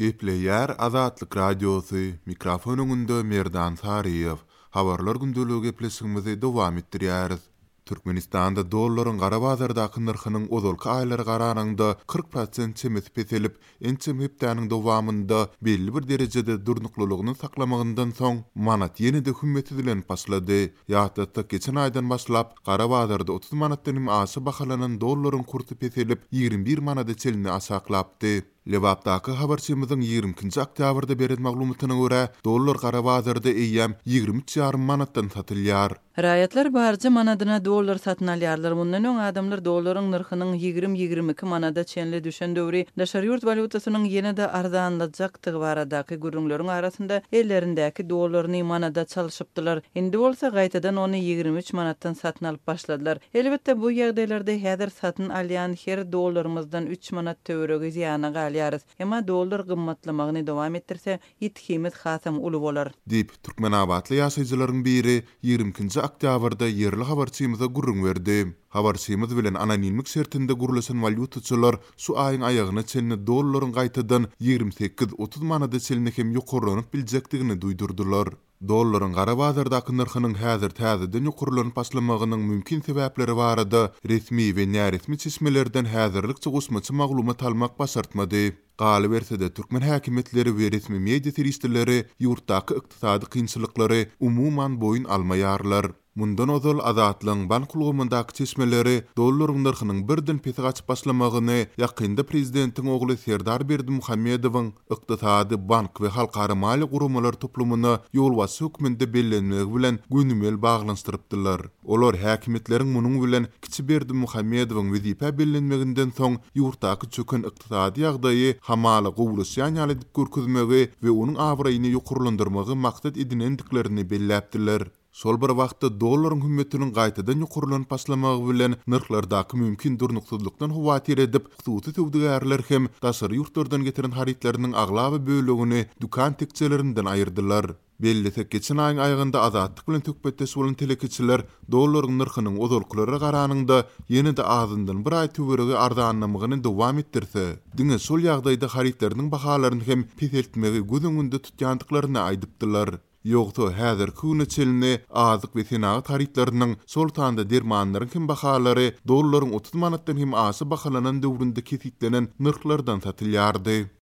Gepleýär Azatlyk Radiosy, mikrofon öňünde Merdan Saryýew. Habarlar gündeligi gepleşigimizi dowam etdirýäris. Türkmenistanda dollaryň gara bazardaky nyrhynyň ozalky aýlara garanyňda 40 prosent çemesi peselip, ençeme hepdäniň dowamynda belli bir derejede durnuklylygyny saklamagyndan soň, manat ýene-de hümmetsizlenip başlady. Ýatlatsak, geçen aýdan başlap, gara bazarda 30 manatdan hem aşa bahalanan dollaryň kursy peselip, 21 manada çenli aşaklapdy. Lebapdaky habarçymyzyň 22 nji oktýabrda beren maglumatyna görä, dollar gara bazarda eýýäm 23 ýarym manatdan satylýar. Raýatlar barja manadyna dollar satyn alýarlar. Mundan öň adamlar dollaryň nyrhynyň ýigrimi-ýigrimi iki manada çenli düşen döwri daşary ýurt walýutasynyň ýene-de arzanlajakdygy baradaky gürrüňleriň arasynda ellerindäki dollaryny manada çalşypdylar. Indi bolsa gaýtadan ony 23 manatdan satyn alyp başladylar. Elbetde, bu ýagdaýlarda häzir satyn alýan her dollarymyzdan üç manat töweregi zyýana galýarys. Emma dollar gymmatlamagyny dowam etdirse, ýitgimiz hasam uly bolar. Diýip, türkmenabatly ýaşaýjylaryň biri ýigrimi ikinji oktýabrda ýerli habarçymyza gürrüň berdi. Habarçymyz bilen anonimlik şertinde gürleşen walýutaçylar şu aýyň aýagyna çenli dollaryň gaýtadan 28-30 manada çenli hem ýokarlanyp biljekdigini duýdurdylar. Dollaryň gara bazardaky nyrhynyň häzir täzeden ýokarlanyp başlamagynyň mümkin sebäpleri barada resmi we näresmi çeşmelerden häzirlikçe goşmaça maglumat almak başartmady. Galyberse-de, türkmen häkimiýetleri we resmi media serişdeleri ýurtdaky ykdysady kynçylyklary umuman boýun almaýarlar. Mundan ozal, Azatlygyň bank ulgamyndaky çeşmeleri dollaryň nyrhynyň birden pese gaçyp başlamagyny ýakynda prezidentiň ogly Serdar Berdimuhamedowyň ykdysady, bank we halkara maliýe guramalar toplumyna ýolbaşçy hökmünde bellenmegi bilen gönümel baglanyşdyrypdylar. Olar häkimiýetleriň munuň bilen kiçi Berdimuhamedowyň wezipä bellenmeginden soň ýurtdaky çöken ykdysady ýagdaýy hamala gowulaşýan ýaly edip görkezmegi we onuň abraýyny ýokarlandyrmagy maksat edinendiklerini belläpdiler. Şol bir wagtda, dollaryň hümmetiniň gaýtadan ýokarlanyp başlamagy bilen nyrhlardaky mümkin durnuksyzlykdan howatyr edip, hususy söwdagärler hem daşary ýurtlardan getiren harytlarynyň aglaba bölegini dükan tekjelerinden aýyrdylar. Bellesek, geçen aýyň aýagynda Azatlyk bilen söhbetdeş bolan telekeçiler dollaryň nyrhynyň ozalkylara garanyňda ýene-de azyndan bir aý töweregi arzanlamagyny dowam etdirse, diňe şol ýagdaýda harytlarynyň bahalaryny hem peseltmegi göz öňünde tutýandyklaryny aýdypdylar. Ýogsa, häzirki güne çenli azyk we senagat harytlarynyň, şol sanda dermanlaryň hem bahalary dollaryň 30 manatdan hem aşa bahalanan döwründe kesgitlenen nyrhlardan satylýardy.